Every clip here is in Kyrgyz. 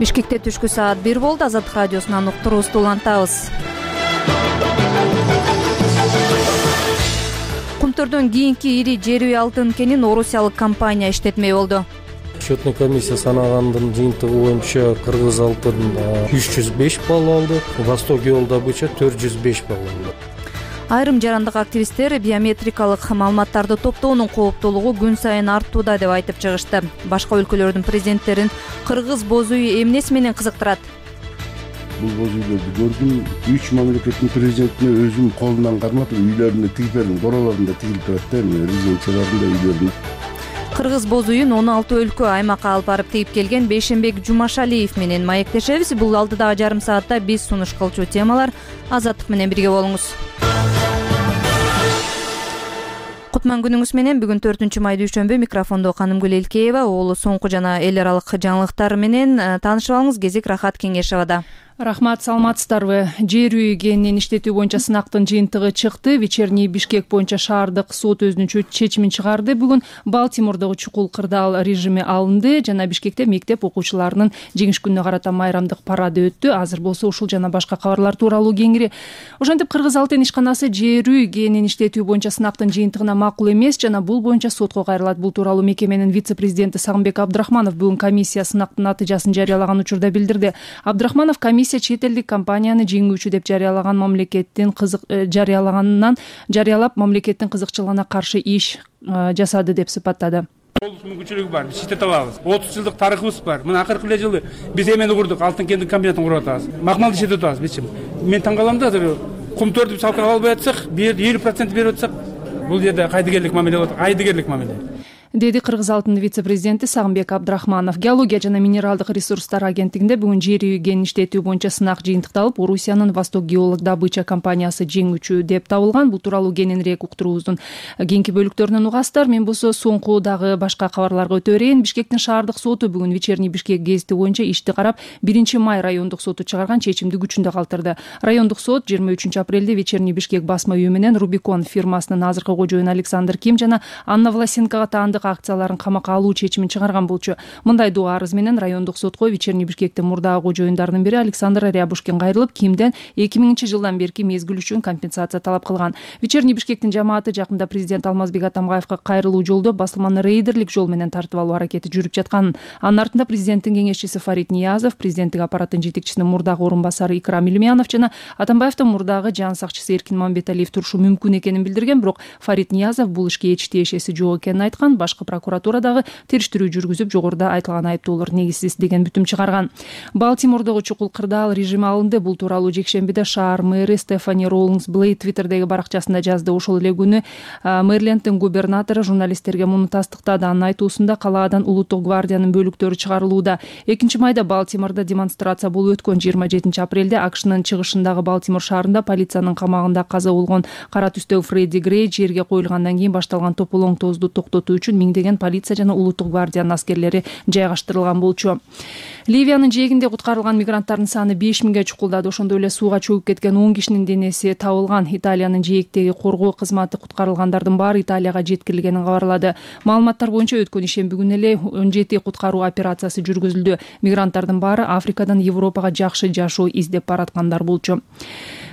Бишкекте түшкү саат 1 болду. Азаттык радиосунан уктуруубузду улантабыз. Кумтөрдөн кийинки ири жер үй алтын кенин орусиялык компания иштетмей болду. Счетный комиссия санагандын жыйынтыгы боюнча Кыргыз алтын 305 балл алды, Восток геол добыча 405 балл алды. Айрым жарандык активисттер биометрикалык маалыматтарды топтоонун кооптуулугу күн сайын артууда деп айтып чыгышты. Башка өлкөлөрдүн президенттерин кыргыз боз үйү эмнеси менен кызыктырат? Бул боз үйлөрдү көрдүм. 3 мамлекеттин президентине өзүм колунан карматып, үйлөрүндө тигип бердим. Боролорунда тигилип турат да, резиденцияларында үйлөрүндө. Кыргыз боз үйүн 16 өлкө аймакка алып барып тигип келген Бейшенбек Жумашалиев менен маектешебиз. Бул алдыдагы жарым саатта биз сунуш кылчу темалар. Азаттык менен бирге болуңуз. Кутман күнүңүз менен. Бүгүн 4 май дүйшөмбү. Микрофондо Канымгүл Элкеева. Оолу соңку жана эл аралык жаңылыктар менен таанышып алыңыз. Кезек Рахат Кеңешевада. Рахмат, саламатсыздарбы? Жер үй кенинин иштетүү боюнча сынактын жыйынтыгы чыкты. Вечерний Бишкек боюнча шаардык сот өзүнүн чечимин чыгарды. Бүгүн Балтимордогу чукул кырдаал режими алынды жана Бишкекте мектеп окуучуларынын жеңиш күнүнө карата майрамдык парады өттү. Азыр болсо ушул жана башка кабарлар тууралуу кеңири. Ошентип Кыргыз алтын ишканасы жер үй кенинин иштетүү боюнча сынактын жыйынтыгына макул эмес жана бул боюнча сотко кайрылат. Бул тууралуу мекеменин вице-президенти Сагынбек Абдрахманов бүгүн комиссия сынактын натыйжасын жарыялаган учурда билдирди. Абдрахманов комиссия чет элдик компанияны жеңүүчү деп жарыялаган жарыялап мамлекеттин кызыкчылыгына каршы иш жасады деп сыпаттады. Мүмкүнчүлүгү бар, биз иштете алабыз. 30 жылдык тарыхыбыз бар. Мына акыркы эле жылы биз эмени курдук, алтын кендик комбинатын куруп атабыз. Макмалды иштетип атабыз бизчи. Мен таң калам да, азыр кумтөрдү салкын албай атсак, 50% берип атсак, бул жерде кайдыгерлик мамиле болот, айдыгерлик мамиле. Деди Кыргыз алтын вице-президенти Сагынбек Абдрахманов. Геология жана минералдык ресурстар агенттигинде бүгүн жер үй кенин иштетүү боюнча сынак жыйынтыкталып, Орусиянын Восток геолог добыча компаниясы жеңүүчү деп табылган. Бул тууралуу кененирээк уктуруубуздун кийинки бөлүктөрүнөн угасыздар. Мен болсо соңку дагы башка кабарларга өтө берейин. Бишкектин шаардык соту бүгүн Вечерний Бишкек гезити боюнча ишти карап, 1-май райондук соту чыгарган чечимди күчүндө калтырды. Райондук сот 23-апрелде Вечерний Бишкек басма үйү менен Рубикон фирмасынын азыркы кожоюну Александр Ким жана Анна Власенкога таандык акцияларын камакка алуу чечимин чыгарган болчу. Мындай доо арыз менен райондук сотко Вечерний Бишкектин мурдагы кожоюндарынын бири Александр Рябушкин кайрылып, Кимден 2000-жылдан берки мезгил үчүн компенсация талап кылган. Вечерний Бишкектин жамааты жакында президент Алмазбек Атамбаевга кайрылуу жолдо басылманы рейдерлик жол менен тартып алуу аракети жүрүп жатканын, анын артында президенттин кеңешчиси Фарид Ниязов, президенттик аппараттын жетекчисинин мурдагы орун басары Икрам Илмиянов жана Атамбаевдин мурдагы жан сакчысы Эркин Мамбеталиев турушу мүмкүн экенин билдирген, бирок Фарид Ниязов бул ишке эч тиешеси жок экенин айткан. Башкы прокуратурадагы териштирүү жүргүзүп, жогоруда айтылган айыптоолор негизсиз деген бүтүм чыгарган. Балтимордогу чукул кырдаал режими алынды. Бул тууралуу жекшембиде шаар мэри Стефани Роулингс Блейд твиттердеги баракчасында жазды. Ошол эле күнү Мэриленддин губернатору журналисттерге муну тастыктады. Анын айтуусунда калаадан улуттук гвардиянын бөлүктөрү чыгарылууда. 2-майда Балтимордо демонстрация болуп өткөн. 27-апрелде АКШнын чыгышындагы Балтимор шаарында полициянын камагында каза болгон кара түстөгү Фредди Грей жерге коюлгандан кийин башталган тополоң тоозду токтотуу үчүн миңдеген полиция жана улуттук гвардиянын аскерлери жайгаштырылган болчу. Ливиянын жээгинде куткарылган мигранттардын саны 5000ге чукулдады. Ошондой эле сууга чөгүп кеткен 10 кишинин денеси табылган. Италиянын жээктеги коргоо кызматы куткарылгандардын баары Италияга жеткирилгенин кабарлады. Маалыматтар боюнча өткөн ишемби күнү эле 17 куткаруу операциясы жүргүзүлдү. Мигранттардын баары Африкадан Европага жакшы жашоо издеп бараткандар болчу.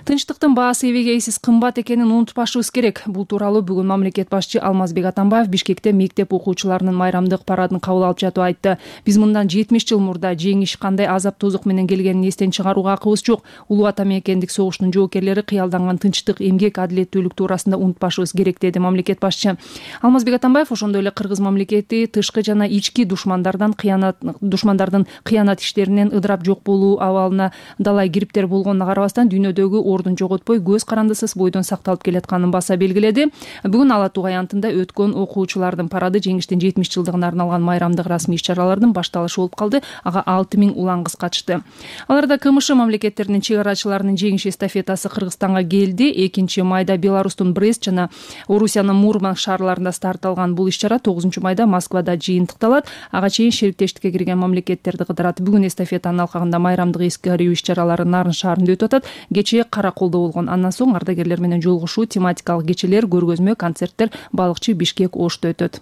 Тынчтыктын баасы эбегейсиз кымбат экенин унутпашыбыз керек. Бул тууралуу бүгүн мамлекет башчы Алмазбек Атамбаев Бишкекте мектеп окуучуларынын майрамдык парадын кабыл алып жатып айтты. Биз мындан 70 жыл мурда жеңиш кандай азап тозук менен келгенин эстен чыгарууга акыбыз жок. Улуу Ата мекендик согуштун жоокерлери кыялданган тынчтык, эмгек, адилеттүүлүк туурасында унутпашыбыз керек, деди мамлекет башчы. Алмазбек Атамбаев ошондой эле кыргыз мамлекети тышкы жана ички душмандардын кыянат иштеринен ыдырап жок болуу абалына далай кириптер болгонуна карабастан дүйнөдөгү ордун жоготпой көз карандысыз бойдон сакталып келатканын баса белгиледи. Бүгүн Ала Туу аянтында өткөн окуучулардын парады жеңиштин 70 жылдыгына арналган майрамдык расмий иш-чаралардын башталышы болуп калды. Ага 6000 улан кыз катышты. Аларда КМШ мамлекеттеринин чек арачыларынын жеңиш эстафетасы Кыргызстанга келди. 2-майда Беларустун Брест жана Орусиянын Мурманск шаарларында старт алган бул иш-чара 9-майда Москвада жыйынтыкталат. Ага чейин шериктештикке кирген мамлекеттерди кыдырат. Бүгүн эстафетанын алкагында майрамдык эскерүү иш-чаралары Нарын шаарында өтүп атат. Кечээ Караколдо болгон. Андан соң ардагерлер менен жолугушуу, тематикалык кечелер, көргөзмө, концерттер Балыкчы, Бишкек, Ошто өтөт.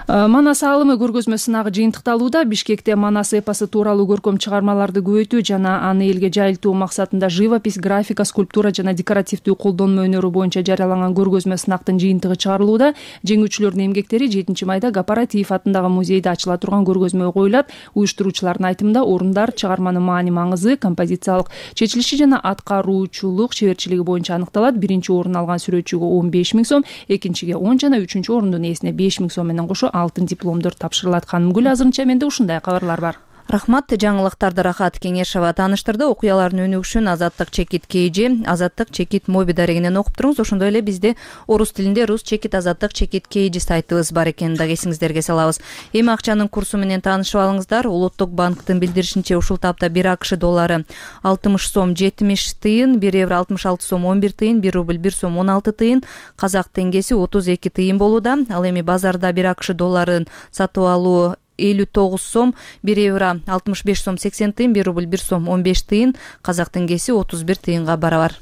Манас аалымы көргөзмө сынагы жыйынтыкталууда. Бишкекте Манас эпосу тууралуу көркөм чыгармаларды көбөйтүү жана аны элге жайылтуу максатында живопись, графика, скульптура жана декоративдүү колдонмо өнөрү боюнча жарыяланган көргөзмө сынактын жыйынтыгы чыгарылууда. Жеңүүчүлөрдүн эмгектери 7 майда Гапаратиев атындагы музейде ачыла турган көргөзмөгө коюлат. Уюштуруучулардын айтымында орундар чыгарманын маани-маңызы, композициялык чечилиши жана аткаруучулук чеберчилиги боюнча аныкталат. Биринчи орун алган сүрөтчүгө 15 000 сом, экинчиге 10 жана үчүнчү орундун ээсине 5 000 сом менен кошо алтын дипломдор тапшырылат. Ханымгүл, азырынча менде ушундай кабарлар бар. Рахмат. Жаңылыктарды Рахат Кеңешова тааныштырды. Окуялардын өнүгүшүн Азаттык чекит KG, Азаттык чекит моби дарегинен окуп туруңуз. Ошондой эле бизде орус тилинде Рус чекит Азаттык чекит KG сайтыбыз бар экенин дагы эсиңиздерге салабыз. Эми акчанын курсу менен таанышып алыңыздар. Улуттук банктын билдиришинче ушул тапта 1 АКШ доллары 60 сом 70 тыйын, 1 евро 66 сом 11 тыйын, 1 рубль 1 сом 16 тыйын, казак теңгеси 32 тыйын болууда. Ал эми базарда 1 АКШ долларын сатып алуу 59 сом, 1 евро 65 сом 80 тыйын, 1 рубль 1 сом 15 тыйын, казак теңгеси 31 тыйынга барабар.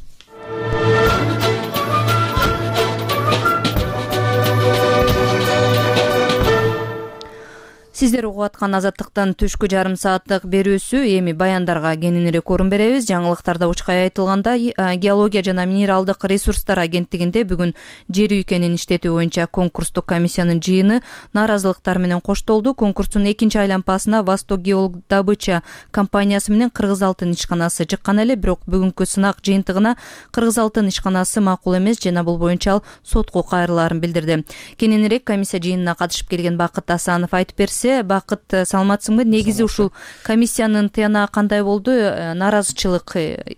Сиздер угуп аткан Азаттыктын түшкү жарым сааттык берүүсү эми баяндарга кененирээк орун беребиз. Жаңылыктарда учкай айтылганда, Геология жана минералдык ресурстар агенттигинде бүгүн жер үйкенин иштетүү боюнча конкурстук комиссиянын жыйыны нааразылыктар менен коштолду. Конкурстун экинчи айланпасына Восток геодобыча компаниясы менен Кыргыз алтын ишканасы чыккан эле, бирок бүгүнкү сынак жыйынтыгына Кыргыз алтын ишканасы макул эмес жана бул боюнча ал сотко кайрылаарын билдирди. Кененирээк комиссия жыйынына катышып келген Бакыт Асанов айтып берсе. Бакыт, саламатсыңбы? Негизи ушул комиссиянын тыянагы кандай болду? Нааразычылык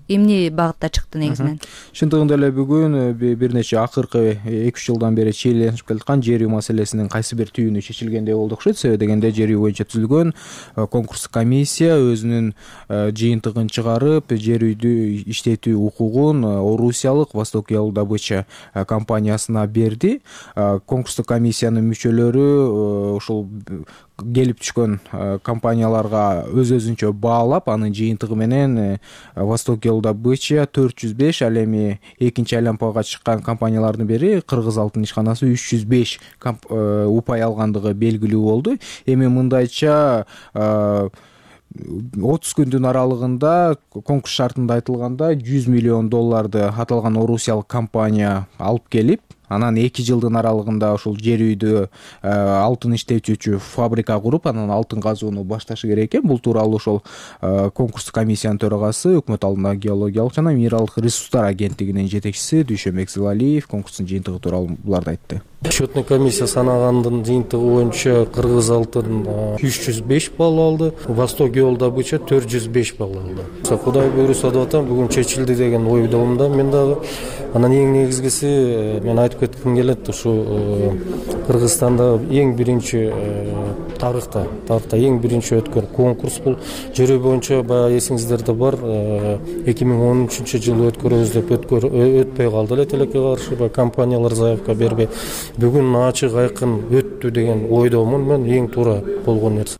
эмне багытта чыкты негизинен? Чындыгында эле бүгүн бир нече акыркы 2-3 жылдан бери чийленип келаткан жер үй маселесинин кайсы бир түйүнү чечилгендей болду окшойт. Себеби дегенде жер үй боюнча түзүлгөн конкурстук комиссия өзүнүн жыйынтыгын чыгарып, жер үйдү иштетүү укугун Орусиялык Восток геодобыча компаниясына берди. Конкурстук комиссиянын мүчөлөрү ушул келип түшкөн компанияларга өз-өзүнчө баалап, анын жыйынтыгы менен Восток геодобыча 405, ал эми экинчи айланпага чыккан компаниялардын бири Кыргыз алтын ишканасы 305 упай алгандыгы белгилүү болду. Эми мындайча 30 күндүн аралыгында конкурс шартында айтылганда 100 миллион долларды аталган орусиялык компания алып келип, анан 2 жылдын аралыгында ушул жер үйдү алтын иштетүүчү фабрика куруп, анан алтын казууну башташы керек экен. Бул тууралуу ошол конкурстук комиссиянын төрагасы, өкмөт алдындагы геологиялык жана минералдык ресурстар агенттигинин жетекчиси Дүйшөнбек Зилалиев конкурстун жыйынтыгы тууралуу буларды айтты. Счетный комиссия санагандын жыйынтыгы боюнча Кыргыз алтын 305 балл алды, Восток геодобыча 405 балл алды. Кудай буйруса деп атам, бүгүн чечилди деген ойдомун мен дагы. Анан эң негизгиси мен айтып кетким келет, ушу Кыргызстанда эң биринчи тарыхта эң биринчи өткөн конкурс бул жер үй боюнча. Баягы эсиңиздерде бар, 2013-жылы өткөрөбүз деп өтпөй калды эле, тилекке каршы компаниялар заявка бербей. Бүгүн ачык айкын өттү деген ойдомун мен, эң туура болгон нерсе.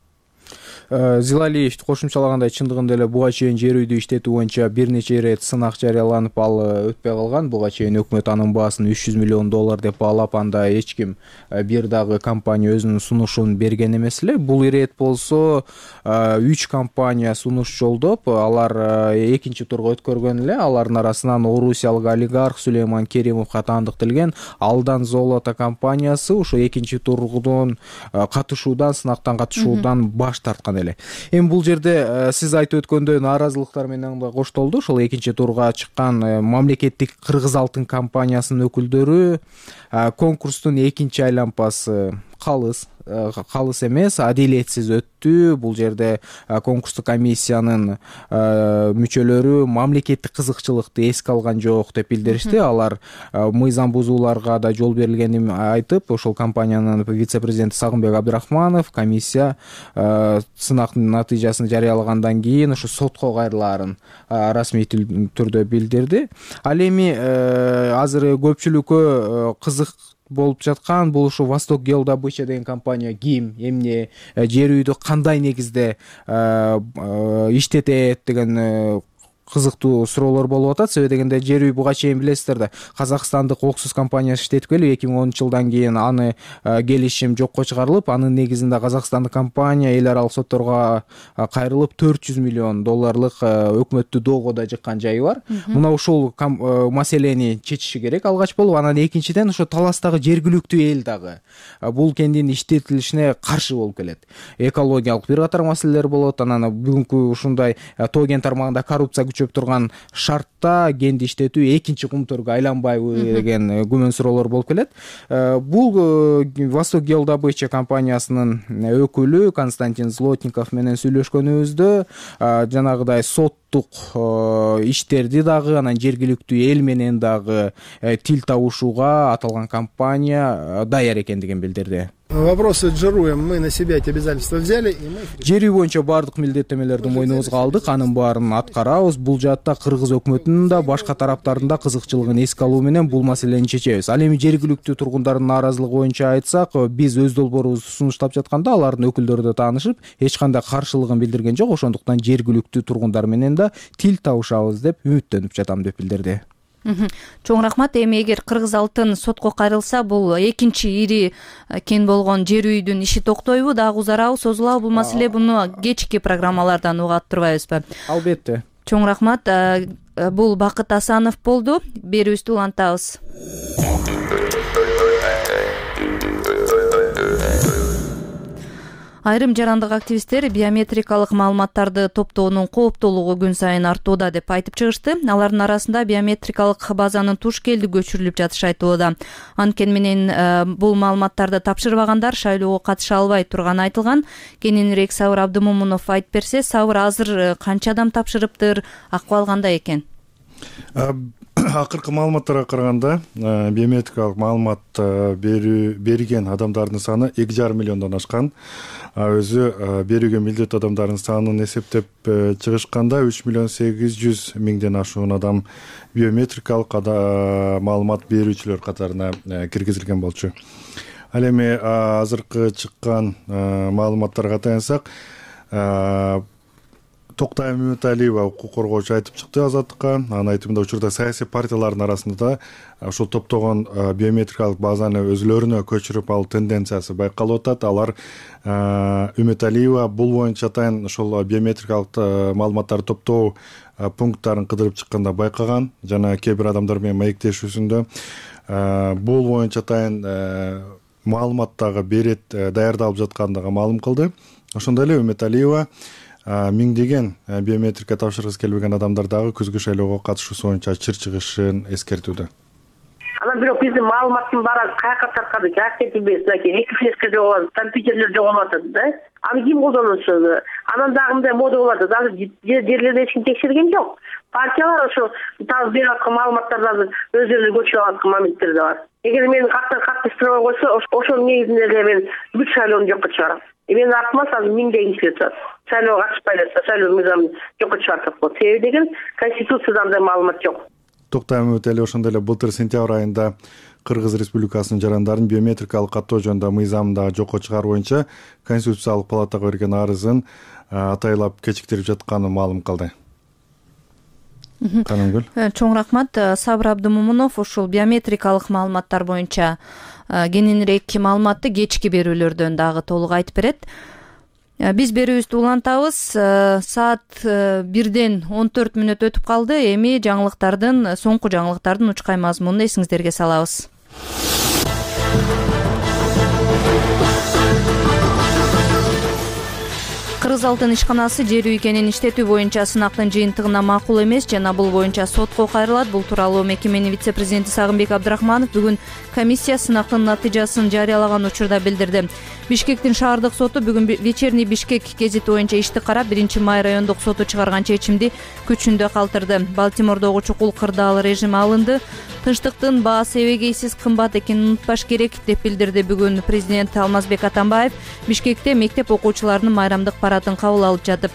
Зилалиев кошумчалагандай, чындыгында эле буга чейин жер үйдү иштетүү боюнча бир нече ирет сынак жарыяланып, ал өтпөй калган. Буга чейин өкмөт анын баасын 300 миллион доллар деп баалап, анда эч ким бир дагы компания өзүнүн сунушун берген эмес эле. Бул ирет болсо 3 компания сунуш жолдоп, алар экинчи турга өткөргөн эле. Алардын арасынан орусиялык олигарх Сулейман Керимовго таандыкталган Алдан Золото компаниясы ушул экинчи турдун сынактан катышуудан баш тарткан эле. Эми бул жерде сиз айтып өткөндөй нааразылыктар менен да коштолду. Ошол экинчи турга чыккан мамлекеттик Кыргыз алтын компаниясынын өкүлдөрү конкурстун экинчи айланпасы калыс эмес, адилетсиз өттү. Бул жерде конкурстук комиссиянын мүчөлөрү мамлекеттик кызыкчылыкты эске алган жок деп билдиришти. Алар мыйзам бузууларга да жол берилгенин айтып, ошол компаниянын вице-президенти Сагынбек Абдрахманов комиссия сынактын натыйжасын жарыялагандан кийин ушу сотко кайрылаарын расмий түрдө билдирди. Ал эми азыр көпчүлүккө кызык болуп жаткан бул ушу Восток геодобыча деген компания ким, эмне, жер үйдү кандай негизде иштетет деген кызыктуу суроолор болуп атат. Себеби дегенде жер үй буга чейин билесиздер да казакстандык Оксус компаниясы иштеткеле 2010 жылдан кийин аны келишим жокко чыгарылып, анын негизинде казакстандык компания эл аралык сотторго кайрылып $400 миллион өкмөттү доого жыккан жайы бар. Мына ушул маселени чечиши керек алгач болуп. Анан экинчиден ошо таластагы жергиликтүү эл дагы бул кендин иштетилишине каршы болуп келет. Экологиялык бир катар маселелер болот. Анан бүгүнкү ушундай тоо кен тармагында коррупция күчөп турган шартта кенди иштетүү экинчи Кумтөргө айланбайбы деген күмөн суроолор болуп келет. Бул Восток геодобыча компаниясынын өкүлү Константин Злотников менен сүйлөшкөнүбүздө жанагыдай соттук иштерди дагы, анан жергиликтүү эл менен дагы тил табышууга аталган компания даяр экендигин билдирди. Вопросы с ЖРУем мы на себя эти обязательства взяли, и мы... Жер үй боюнча баардык милдеттемелерди мойнубузга алдык, анын баарын аткарабыз. Бул жаатта кыргыз өкмөтүнүн да башка тараптардын да кызыкчылыгын эске алуу менен бул маселени чечебиз. Ал эми жергиликтүү тургундардын нааразылыгы боюнча айтсак, биз өз долбоорубузду сунуштап жатканда алардын өкүлдөрү да таанышып, эч кандай каршылыгын билдирген жок. Ошондуктан жергиликтүү тургундар менен да тил табышабыз деп үмүттөнүп жатам деп билдирди. Чоң рахмат. Эми эгер Кыргыз алтын сотко кайрылса, бул экинчи ири кен болгон жер үйдүн иши токтойбу, дагы узарабы, созулабы бул маселе? Буну кечки программалардан угат турбайбызбы? Албетте. Чоң рахмат. Бул Бакыт Асанов болду. Берүүбүздү улантабыз. Айрым жарандык активисттер биометрикалык маалыматтарды топтоонун кооптуулугу күн сайын артууда деп айтып чыгышты. Алардын арасында биометрикалык базанын туш келди көчүрүлүп жатышы айтылууда. Анткени менен бул маалыматтарды тапшырбагандар шайлоого катыша албай турганы айтылган. Кененирээк Сабыр Абдымомунов айтып берсе, Сабыр, азыр канча адам тапшырыптыр, акыбал кандай экен? Акыркы маалыматтарга караганда биометрикалык маалымат берген адамдардын саны 2,5 миллиондон ашкан. Өзү берүүгө милдеттүү адамдардын санын эсептеп чыгышканда 3,8 миллион ашуун адам биометрикалык маалымат берүүчүлөр катарына киргизилген болчу. Ал эми азыркы чыккан маалыматтарга таянсак, Токтай Мөталиева укук коргоочу айтып чыкты Азаттыкка. Анын айтымында учурда саясий партиялардын арасында ушул топтогон биометрикалык базаны өзүлөрүнө көчүрүп алуу тенденциясы байкалып атат. Алар Үмөталиева бул боюнча атайын ушул биометрикалык маалыматтарды топтоо пункттарын кыдырып чыкканда байкаган жана кээ бир адамдар менен маектешүүсүндө бул боюнча атайын маалымат дагы берет даярдалып жаткандыгы маалым кылды. Ошондой эле Үмөталиева миңдеген биометрика тапшыргысы келбеген адамдар дагы күзгү шайлоого катышуусу боюнча чыр чыгышын эскертүүдө. Анан бирок биздин маалыматтын баары каяка таркады, как кетилбейт, эки флешка жоголат, компьютерлер жоголуп атат да. Аны ким колдонушу? Анан дагы мындай мода болуп атат. Азыр жерлерде эч ким текшерген жок. Партиялар ошо табып берип аткан маалыматтарды өздөрүнө көчүрүп аткан моменттер да бар. Эгер мени каттан каттыштырбай койсо, ошонун негизинде эле мен бүт шайлоону жокко чыгарам. Мен артыма азыр миңдеген кишилер турат. Шайлоого катышпай эле шайлоо мыйзамын жокко чыгартып коет. Себеби деген Конституцияда андай маалымат жок. Токтай Мөталиева ошондой эле былтыр сентябрь айында Кыргыз Республикасынын жарандарын биометрикалык каттоо жөнүндө мыйзамды жокко чыгаруу боюнча Конституциялык палатага берген арызын атайлап кечиктирип жатканын маалым кылды. Канымгүл. Чоң рахмат. Сабыр Абдымомунов ушул биометрикалык маалыматтар боюнча кененирээк маалыматты кечки берүүлөрдөн дагы толук айтып берет. Биз берүүбүздү улантабыз. Саат 1-ден 14 мүнөт өтүп калды. Эми соңку жаңылыктардын учкай мазмунун эсиңиздерге салабыз. Кыргыз алтын ишканасы жер үй кенин иштетүү боюнча сынактын жыйынтыгына макул эмес жана бул боюнча сотко кайрылат. Бул тууралуу мекеменин вице-президенти Сагынбек Абдрахманов бүгүн комиссия сынактын натыйжасын жарыялаган учурда билдирди. Бишкектин шаардык соту бүгүн вечерний Бишкек гезити боюнча ишти карап, 1-май райондук соту чыгарган чечимди күчүндө калтырды. Балтимордогу чукул кырдаал режими алынды. Тынчтыктын баасы эбегейсиз кымбат экенин унутпаш керек деп билдирди бүгүн президент Алмазбек Атамбаев. Бишкекте мектеп окуучуларынын майрамдык паратын кабыл алып жатып.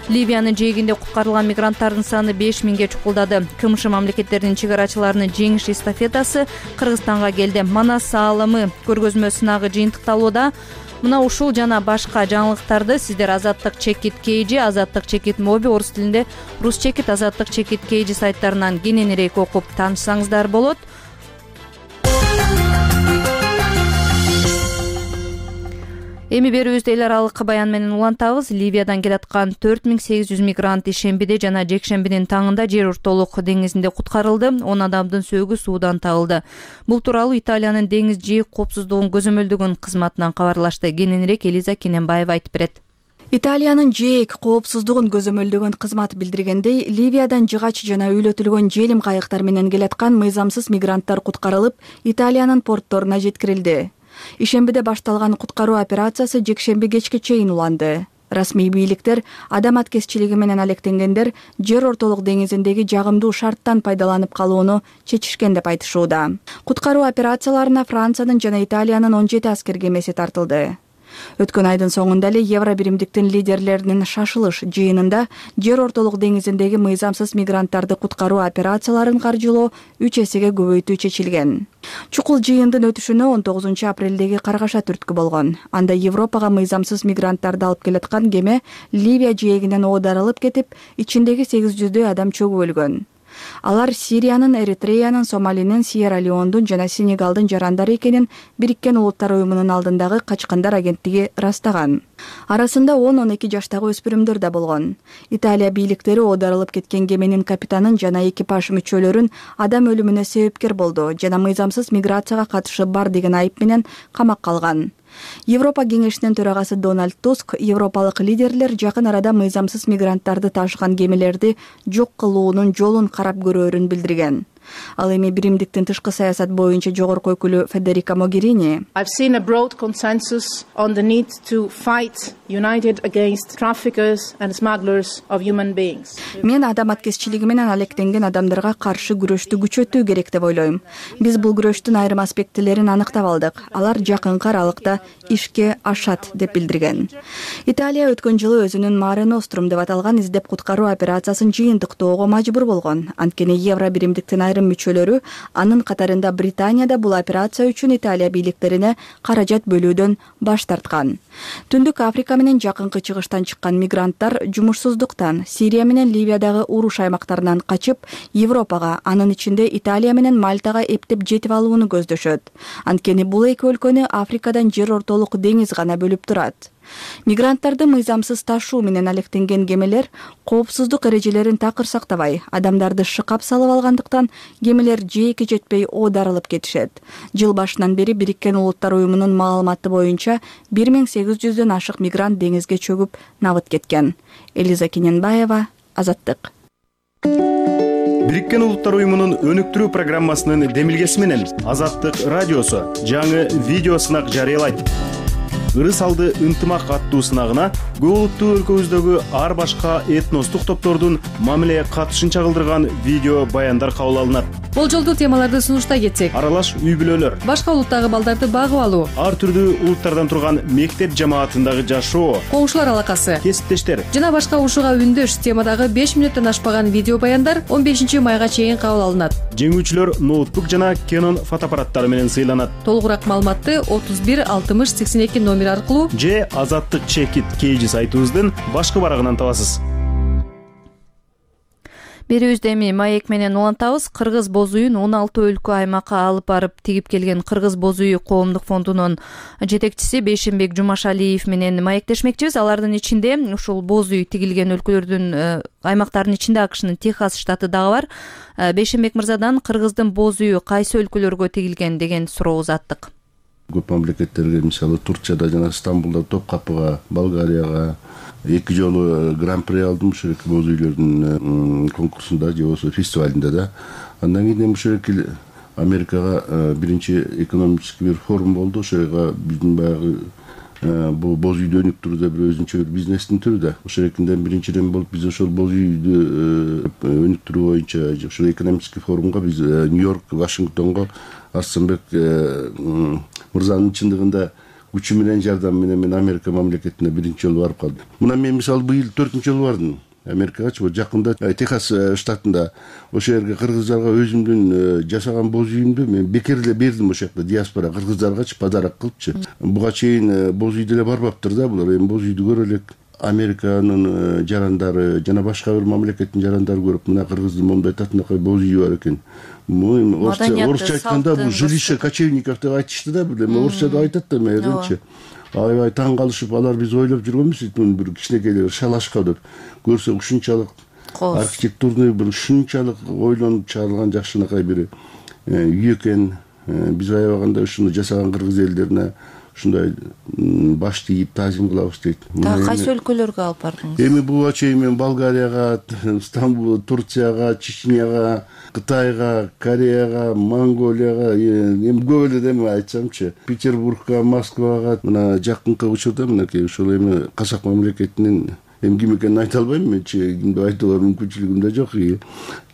Ливиянын жээгинде куткарылган мигранттардын саны 5000ге чукулдады. КМШ мамлекеттеринин чыгарачыларынын жеңиш эстафетасы Кыргызстанга келди. Манас аалымы көргөзмө сынагы жыйынтыкталууда. Мына ушул жана башка жаңылыктарды сиздер Азаттык чекит KG, Азаттык чекит моби, орус тилинде Рус чекит, Азаттык чекит KG сайттарынан кененирээк окуп таанышсаңыздар болот. Эми берүүбүздү эл аралык баян менен улантабыз. Ливиядан келаткан 4800 мигрант ишембиде жана жекшембинин таңында жер ортолук деңизинде куткарылды. 10 адамдын сөөгү суудан табылды. Бул тууралуу Италиянын деңиз жээк коопсуздугун көзөмөлдөгөн кызматынан кабарлашты. Кененирээк Элиза Кененбаева айтып берет. Италиянын жээк коопсуздугун көзөмөлдөгөн кызмат билдиргендей, Ливиядан жыгач жана үйлөтүлгөн желим кайыктар менен келаткан мыйзамсыз мигранттар куткарылып, Италиянын портторуна жеткирилди. Ишембиде башталган куткаруу операциясы жекшемби кечке чейин уланды. Расмий бийликтер адам аткезчилиги менен алектенгендер жер ортолук деңизиндеги жагымдуу шарттан пайдаланып калууну чечишкен деп айтышууда. Куткаруу операцияларына Франциянын жана Италиянын 17 аскер кемеси тартылды. Өткөн айдын соңунда эле Евро биримдиктин лидерлеринин шашылыш жыйынында жер ортолук деңизиндеги мыйзамсыз мигранттарды куткаруу операцияларын каржылоо 3 эсеге көбөйтүү чечилген. Чукул жыйындын өтүшүнө 19 апрелдеги каргаша түрткү болгон. Анда Европага мыйзамсыз мигранттарды алып келаткан кеме Ливия жээгинен оодарылып кетип, ичиндеги 800дөй адам чөгүп өлгөн. Алар Сириянын, Эритреянын, Сомалинин, Сьерра-Леондун жана Сенегалдын жарандары экенин Бириккен Улуттар уюмунун алдындагы качкандар агенттиги ырастаган. Арасында 10-12 жаштагы өспүрүмдөр да болгон. Италия бийликтери оодарылып кеткен кеменин капитанын жана экипаж мүчөлөрүн адам өлүмүнө себепкер болду жана мыйзамсыз миграцияга катышы бар деген айып менен камакка алган. Европа кеңешинин төрагасы Дональд Туск европалык лидерлер жакын арада мыйзамсыз мигранттарды ташыган кемелерди жок кылуунун жолун карап көрөөрүн билдирген. Ал эми биримдиктин тышкы саясат боюнча жогорку өкүлү Федерика Могерини I've seen a broad consensus on the need to fight united against traffickers and smugglers of human beings. Мен адам аткезчилиги менен алектенген адамдарга каршы күрөштү күчөтүү керек деп ойлойм. Биз бул күрөштүн айрым аспектилерин аныктап алдык. Алар жакынкы аралыкта ишке ашат деп билдирген. Италия өткөн жылы өзүнүн Mare Nostrum деп аталган издеп куткаруу операциясын жыйынтыктоого мажбур болгон. Анткени Евро биримдиктин айрым мүчөлөрү, анын катарында Британияда бул операция үчүн Италия бийликтерине каражат бөлүүдөн баш тарткан. Түндүк Африка менен жакынкы чыгыштан чыккан мигранттар жумушсуздуктан Сирия менен Ливиядагы уруш аймактарынан качып, Европага, анын ичинде Италия менен Мальтага эптеп жетип алууну көздөшөт. Анткени бул эки өлкөнү Африкадан жер ортолук деңиз гана бөлүп турат. Мигранттарды мыйзамсыз ташуу менен алектенген кемелер коопсуздук эрежелерин такыр сактабай, адамдарды шыкап салып алгандыктан кемелер жээкке жетпей оодарылып кетишет. Жыл башынан бери Бириккен Улуттар уюмунун маалыматы боюнча 1800дөн ашык мигрант деңизге чөгүп набыт кеткен. Элиза Кененбаева, Азаттык. Бириккен Улуттар уюмунун өнүктүрүү программасынын демилгеси менен Азаттык радиосу жаңы видео сынак жарыялайт. Ырыс алды ынтымак аттуу сынагына көп улуттуу өлкөбүздөгү ар башка этностук топтордун мамиле катышын чагылдырган видео баяндар кабыл алынат. Болжолдуу темаларды сунуштай кетсек: аралаш үй бүлөлөр, башка улуттагы балдарды багып алуу, ар түрдүү улуттардан турган мектеп жамаатындагы жашоо, коңшулар алакасы, кесиптештер жана башка ушуга үндөш темадагы 5 минуттан ашпаган видео баяндар 15 майга чейин кабыл алынат. Жеңүүчүлөр ноутбук жана Canon фотоаппараттары менен сыйланат. Толугураак маалыматты 31 60 82 номер аркылуу же Азаттык чекит KG сайтыбыздын башкы барагынан табасыз. Берүүбүздү эми маек менен улантабыз. Кыргыз боз үйүн 16 өлкө аймакка алып барып тигип келген Кыргыз боз үйү коомдук фондунун жетекчиси Бейшенбек Жумашалиев менен маектешмекчибиз. Алардын ичинде ушул боз үй тигилген өлкөлөрдүн аймактардын ичинде АКШнын Техас штаты дагы бар. Бейшенбек мырзадан Кыргыздын боз үйү кайсы өлкөлөргө тигилген деген суроо узаттык. Көп мамлекеттерге, мисалы Турцияда жана Стамбулда, Топкапыга, Болгарияга 2 жолу гран-при алдым ушул боз үйлөрдүн конкурсунда же болбосо фестивалында да. Андан кийин ушул Америкага биринчи экономический бир форум болду. Ошого биздин баягы бул боз үйдү өнүктүрүүдө бир өзүнчө бир бизнестин түрү да. Ошолерден биринчиден болуп биз ошол боз үйдү өнүктүрүү боюнча ушул экономический форумга биз Нью-Йорк, Вашингтонго Арсенбек мырзанын чындыгында күчү менен жардамы менен мен Америка мамлекетине биринчи жолу барып калдым. Мына мен мисалы быйыл 4-жолу бардым. Америкагачы жакында Техас штатында ошол жерге кыргыздарга өзүмдүн жасаган боз үйүмдү мен бекер эле бердим. Ошол жакта диаспора кыргыздаргачы подарок кылыпчы. Буга чейин боз үйдө эле барбаптыр да булар. Эми боз үйдү көрө элек. Американын жарандары жана башка бир мамлекеттин жарандары көрүп, мына кыргыздын момундай татынакай боз үйү бар экен. Орусча айтканда бул жилище кочевников деп айтышты да, бир эме орусча деп айтат да мээрденчи. Аябай таң калышып, алар биз ойлоп жүргөнбүз, бир кичинекей шалашка деп. Көрсөк ушунчалык архитектурный бир ушунчалык ойлонуп чыгарылган жакшынакай бир үй экен. Биз аябаганда ушуну жасаган кыргыз элдерине ушундай баш тийип таазим кылабыз дейт. Дагы кайсы өлкөлөргө алып бардыңыз? Эми буга чейин мен Болгарияга, Стамбул, Турцияга, Чечняга, Кытайга, Кореяга, Монголияга, эми көп эле деме айтсамчы, Петербургга, Москвага, мына жакынкы учурда мынакей ушул эми казак мамлекетинин эми ким экенин айта албайм менчи, кимди айтууга мүмкүнчүлүгүм да жок.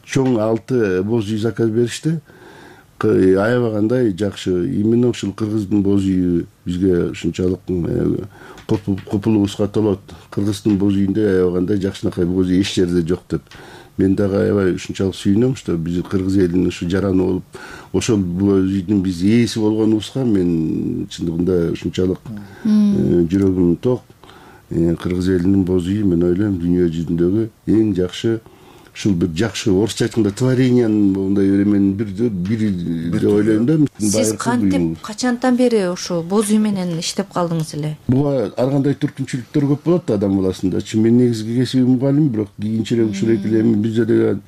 Чоң 6 боз үй заказ беришти. Аябагандай жакшы. Именно ушул кыргыздын боз үйү бизге ушунчалык копулубузга толот. Кыргыздын боз үйүндө аябагандай жакшынакай боз үй эч жерде жок деп. Мен дагы аябай ушунчалык сүйүнөм, что биз кыргыз элинин ушу жараны болуп, ошол боз үйдүн биз ээси болгонубузга мен чындыгында ушунчалык жүрөгүм ток. Кыргыз элинин боз үйү мен ойлойм дүйнө жүзүндөгү эң жакшы, ушул бир жакшы орусча айтканда творениянын мындай эменин бири деп ойлойм да. Сиз кантип качантан бери ушу боз үй менен иштеп калдыңыз эле? Буга ар кандай түркүнчүлүктөр көп болот адам баласында. Мен негизги кесибим мугалим, бирок кийинчерээк ушул эки бизде деген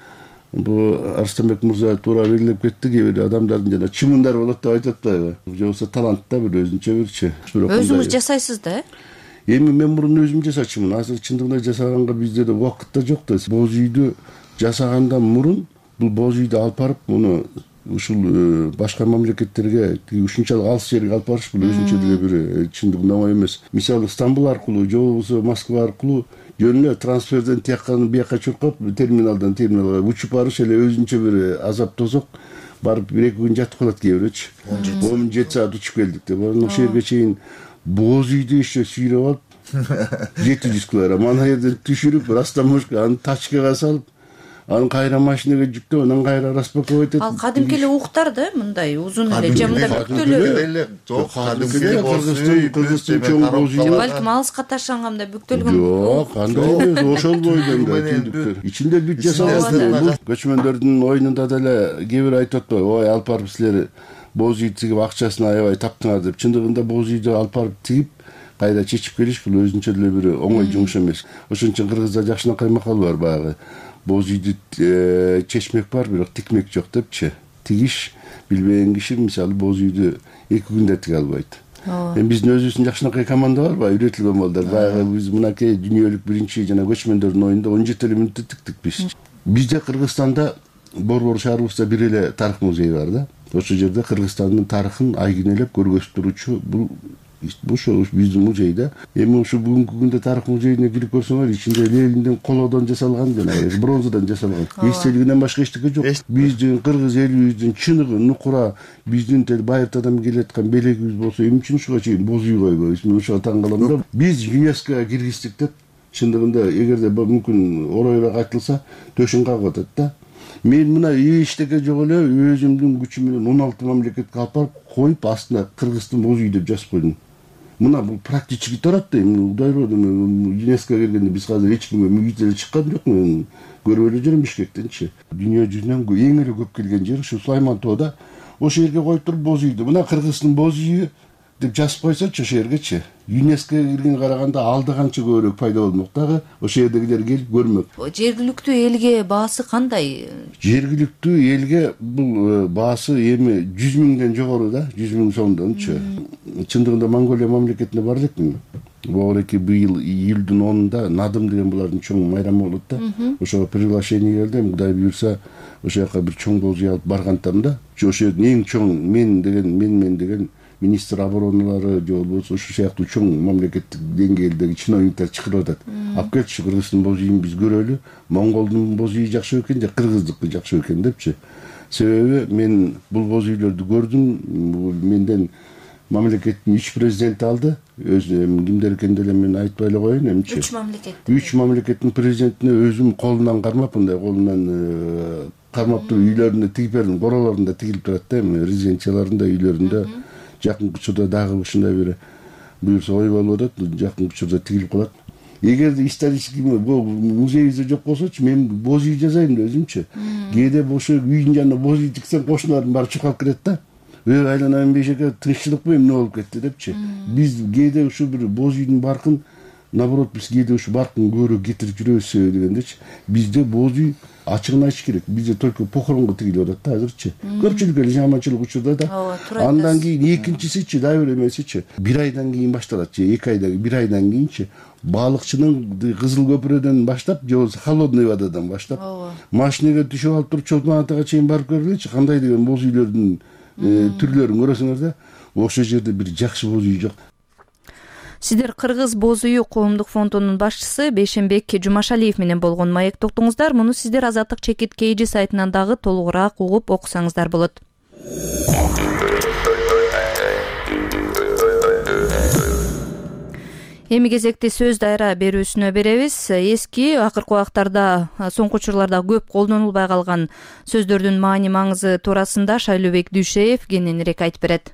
бу Арстанбек мырза туура белгилеп кетти, кээ бир адамдардын жана чымындар болот деп айтып атпайбы? Же болбосо талант да бир өзүнчө бирчи. Өзүңүз жасайсыз да? Эми мен мурун өзүм жасачумун. Азыр чындыгында жасаганга бизде да убакыт да жок да. Боз үйдү жасагандан мурун бул боз үйдү алып барып, муну ушул башка мамлекеттерге ушунчалык алыс жерге алып барыш бул өзүнчө деле бир чындыгында оңой эмес. Мисалы Стамбул аркылуу же болбосо Москва аркылуу жөн эле трансферден тияктан бияка чуркап терминалдан терминалга учуп барыш эле өзүнчө бир азап тозок. Барып 1-2 күн жатып калат кээ бирөөчү. 17 саат учуп келдик деп. Ошол жерге чейин боз үйдү еще сүйрөп алып 700 килограмм ана жерден түшүрүп растаможка аны тачкага салып, аны кайра машинага жүктөп, анан кайра распаковать этип. Ал кадимки эле уктар да, мындай узун эле, же мындай бүктөлүү. Жок, кыргыздын чоң боз үйү. Балким алыска таштанганда бүктөлгөн. Жок, кандай эмес, ошол бойдон түндүктөр. Ичинде бүт жасалган. Көчмөндөрдүн оюнунда деле кээ бир айтып атпайбы, ой алып барып силер боз үй тигип акчасын аябай таптыңар деп. Чындыгында боз үйдү алып барып тигип кайда чечип келиш бул өзүнчө деле бир оңой жумуш эмес. Ошон үчүн кыргызда жакшынакай макал бар баягы. Боз үйдү чечмек бар, бирок тикмек жок депчи. Тигиш билбеген киши мисалы боз үйдү 2 күндө тиге албайт. Эми биздин өзүбүздүн жакшынакай команда бар, баягы үйрөтүлгөн балдар. Баягы биз мынакей дүйнөлүк биринчи жана көчмөндөрдүн ойунда 17 мүнөттө тиктик биз. Бизде Кыргызстанда Борбор шаарыбызда бир эле тарых музейи бар да. Ошол жерде Кыргызстандын тарыхын айгинелеп көргөзүп турчу бул ошо биздин музей да. Эми ушу бүгүнкү күндө тарых музейине кирип көрсөңөр, ичинде Лениндин колодон жасалган жана бронзадан жасалган эстелигинен башка эчтеке жок. Биздин кыргыз элибиздин чыныгы, нукура, биздин байыртадан келаткан белегибиз болсо, эмне үчүн ушуга чейин боз үй койбойбуз? Мен ошого таң калам да. Биз ЮНЕСКОга киргиздик деп, чындыгында эгерде мүмкүн оройбак айтылса, төшүн кагып атат да. Мен мына эчтеке жок эле өзүмдүн күчүм менен 16 мамлекетке алып барып коюп, астына Кыргыздын боз үй деп жазып койдум. Мына бул практически турат да. Эми Кудай урду, ЮНЕСКОга киргенде биз азыр эч кимге мүгүт эле чыккан жок. Мен көрүп эле жүрөм Бишкектенчи. Дүйнө жүзүнөн эң эле көп келген жер ушу Сулаймантоодо. Ошол жерге коюп туруп боз үйдү. Мына Кыргыздын боз үйү деп жазып койсочу ошол жергечи. ЮНЕСКОга кирген караганда алда канча көбүрөөк пайда болмок дагы. Ошол жердегилер келип көрмөк. Жергиликтүү элге баасы кандай? Жергиликтүү элге бул баасы эми 100 миңден жогору да, 100 миң сомдончу. Чындыгында Монголия мамлекетине бар элекмин. Богореки быйыл июлдун 10-унда Надым деген булардын чоң майрамы болот да. Ошого приглашение келди. Кудай буйрса ошол жака бир чоң боз үй алып баргантам да. Ошол жердин эң чоң мен деген министр обороналары же болбосо ушул сыяктуу чоң мамлекеттик деңгээлдеги чиновниктер чакырып атат. Алып келчи Кыргыздын боз үйүн биз көрөлү. Монголдун боз үйү жакшы экен же кыргыздыкы жакшы экен депчи. Себеби мен бул боз үйлөрдү көрдүм. Менден мамлекеттин 3 президенти алды. Кимдер экенин деле мен айтпай эле коеюн эмчи. 3 мамлекеттин президентине өзүм колунан кармап, мындай колунан кармап туруп үйлөрүндө тигип бердим. Королорунда тигилип турат да, резиденцияларында, үйлөрүндө. Жакынкы учурда дагы ушундай бир буюрса ой болуп атат, жакынкы учурда тигилип калат. Эгерде исторический музейибизде жок болсочу, мен боз үй жасайм да өзүмчү. Кээде ошо үйдүн жанына боз үй тиксем, кошуналарым баары чуркап кирет да. Айланайын бейшеке, тынччылыкпы эмне болуп кетти депчи. Биз кээде ушу бир боз үйдүн баркын, наоборот, биз кээде ушу баркын көбүрөөк кетирип жүрөбүз дегендечи. Бизде боз үй ачыгын айтыш керек. Бизде только похоронго тигилип атат да азырчы. Көпчүлүк эле жаманчылык учурда да. Андан кийин экинчисичи, дагы бир эмесичи, 1 айдан кийин башталат же 2 айдан, 1 айдан кийинчи балыкчынын Кызыл көпүрөдөн баштап, же болбосо холодный водадан баштап, машинеге түшүп алып туруп Чолпон атага чейин барып көргүлөчү, кандай деген боз үйлөрдүн түрлөрүн көрөсүңөр да. Ошол жерде бир жакшы боз үй жок. Сиздер Кыргыз боз үйү коомдук фондунун башчысы Бейшенбек Жумашалиев менен болгон маектоктуңуздар. Муну сиздер Азаттык чекит KG сайтынан дагы толугураак угуп окусаңыздар болот. Эми кезекти сөз дайра берүүсүнө беребиз. Эски, акыркы убактарда, соңку учурларда көп колдонулбай калган сөздөрдүн маани маңызы туурасында Шайлообек Дүйшеев кененирээк айтып берет.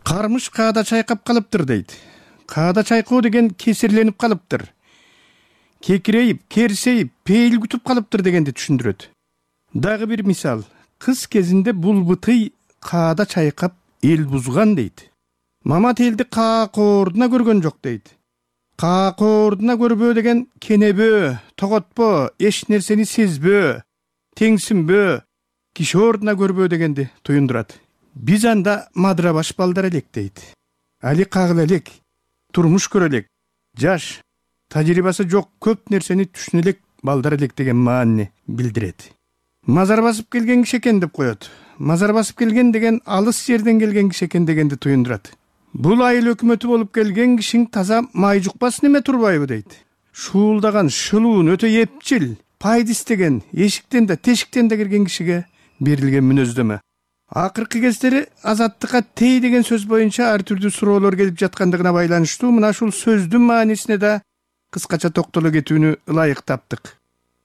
Кармыш каада чайкап калыптыр дейт. Каада чайкоо деген кесирленип калыптыр. Кекирейип, керсейип, пейил күтүп калыптыр дегенди түшүндүрөт. Дагы бир мисал, кыз кезинде булбутый каада чайкап эл бузган дейт. Мама телди каакоордуна көргөн жок дейт. Каакоордуна көрбөө деген кенебөө, тоготпо, эч нерсени сезбөө, теңсинбөө, киши ордуна көрбөө дегенди туюндурат. Биз анда мадыра баш балдар элек дейт. Али кагыла элек, турмуш көрө элек, жаш, тажрыйбасы жок көп нерсени түшүнө элек балдар элек деген маанини билдирет. Мазар басып келген киши экен деп коет. Мазар басып келген деген алыс жерден келген киши экен дегенди туюндурат. Бул айыл өкмөтү болуп келген кишиң таза май жукпасын эме турбайбы дейт. Шуулдаган, шылуун, өтө эпчил, пайда истеген, эшиктен да, тешиктен да кирген кишиге берилген мүнөздөмө. Акыркы кездери азаттыкка тей деген сөз боюнча ар түрдүү суроолор келип жаткандыгына байланыштуу мына ушул сөздүн маанисине да кыскача токтоло кетүүнү ылайык таптык.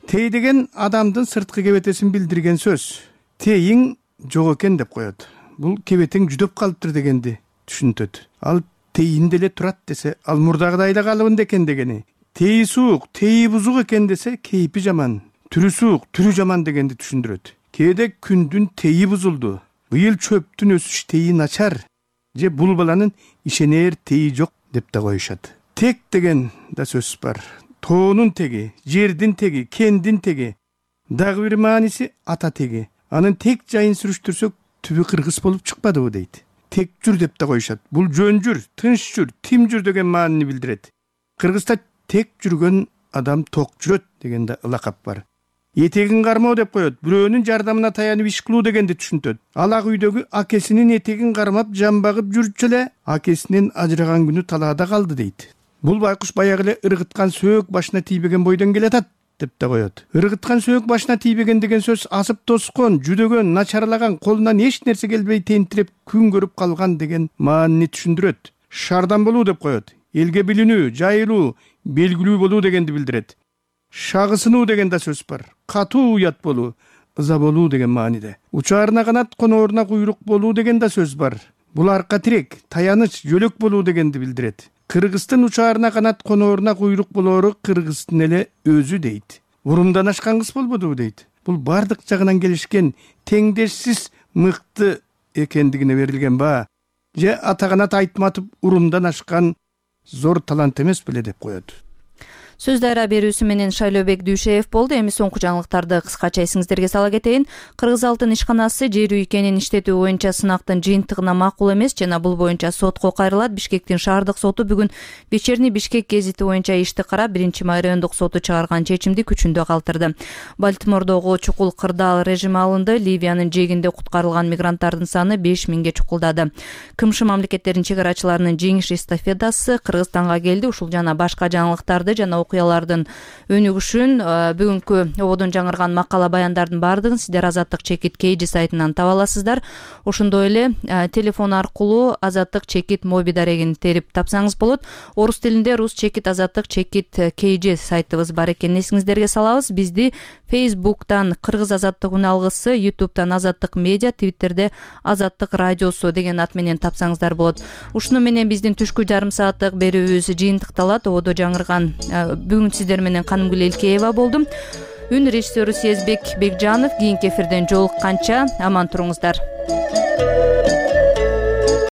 Тей деген адамдын сырткы кебетесин билдирген сөз. Тейиң жок экен деп коет. Бул кебетең жүдөп калыптыр дегенди түшүнтөт. Ал тейин деле турат десе, ал мурдагыдай эле калыбында экен дегени. Теи суук, теи бузук экен десе, кейпи жаман, түрү суук, түрү жаман дегенди түшүндүрөт. Кээде күндүн теи бузулду. Быйыл чөптүн өсүш теи начар, же бул баланын ишенер теи жок деп да коюшат. Тек деген да сөз бар. Тоонун теги, жердин теги, кендин теги. Дагы бир мааниси ата теги. Анын тек жайын сүрүштүрсөк, түбү кыргыз болуп чыкпадыбы дейт. Тек жүр деп да коюшат. Бул жөн жүр, тынч жүр, тим жүр деген маанини билдирет. Кыргызда тек жүргөн адам ток жүрөт деген да ылакап бар. Этегин кармоо деп коет. Бирөөнүн жардамына таянып иш кылуу дегенди түшүнтөт. Ал ак үйдөгү акесинин этегин кармап жамбагып жүрчү эле акесинен ажыраган күнү талаада калды дейт. Бул байкуш баягы эле ыргыткан сөөк башына тийбеген бойдон келатат деп да коет. Ыргыткан сөөк башына тийбеген деген сөз асып тоскон, жүдөгөн, начарлаган, колунан эч нерсе келбей тентиреп күн көрүп калган деген маанини түшүндүрөт. Шардан болуу деп коет. Элге билинүү, жайылуу, белгилүү болуу дегенди билдирет. Шагысынуу деген да сөз бар. Катуу уят болуу, ыза болуу деген мааниде. Учаарына канат, конооруна куйрук болуу деген да сөз бар. Бул арка тирек, таяныч, жөлөк болуу дегенди билдирет. Кыргыздын учаарына канат, конооруна куйрук болоору кыргыздын эле өзү дейт. Урумдан ашкан кыз болбодубу дейт. Бул бардык жагынан келишкен, теңдешсиз мыкты экендигине берилген баа. Же атаганат айтматып урумдан ашкан зор талант эмес беле деп коет. Сөз дайра берүүсү менен Шайлообек Дүйшеев болду. Эми соңку жаңылыктарды кыскача эсиңиздерге сала кетейин. Кыргыз алтын ишканасы жер үйкенин иштетүү боюнча сынактын жыйынтыгына макул эмес жана бул боюнча сотко кайрылат. Бишкектин шаардык соту бүгүн Вечерний Бишкек гезити боюнча ишти карап, 1-май райондук соту чыгарган чечимди күчүндө калтырды. Балтимордогу чукул кырдаал режими алынды. Ливиянын жээгинде куткарылган мигранттардын саны 5000ге чукулдады. КМШ мамлекеттеринин чек арачыларынын жеңиш эстафетасы Кыргызстанга келди. Ушул жана башка жаңылыктарды жана окуялардын өнүгүшүн. Бүгүнкү ободон жаңырган макала баяндардын баардыгын сиздер Азаттык чекит KG сайтынан таба аласыздар. Ошондой эле телефон аркылуу Азаттык чекит моби дарегин терип тапсаңыз болот. Орус тилинде Рус чекит Азаттык чекит KG сайтыбыз бар экенин эсиңиздерге салабыз. Бизди Facebook'тан Кыргыз Азаттык үн алгысы, YouTube'тан Азаттык медиа, Twitter'де Азаттык радиосу деген ат менен тапсаңыздар болот. Ушуну менен биздин түшкү жарым сааттык берүүбүз жыйынтыкталат. Ободо жаңырган бүгүн сиздер менен Канымгүл Элкеева болдум. Үн режиссеру Сезбек Бекжанов. Кийинки эфирден жолукканча аман туруңуздар.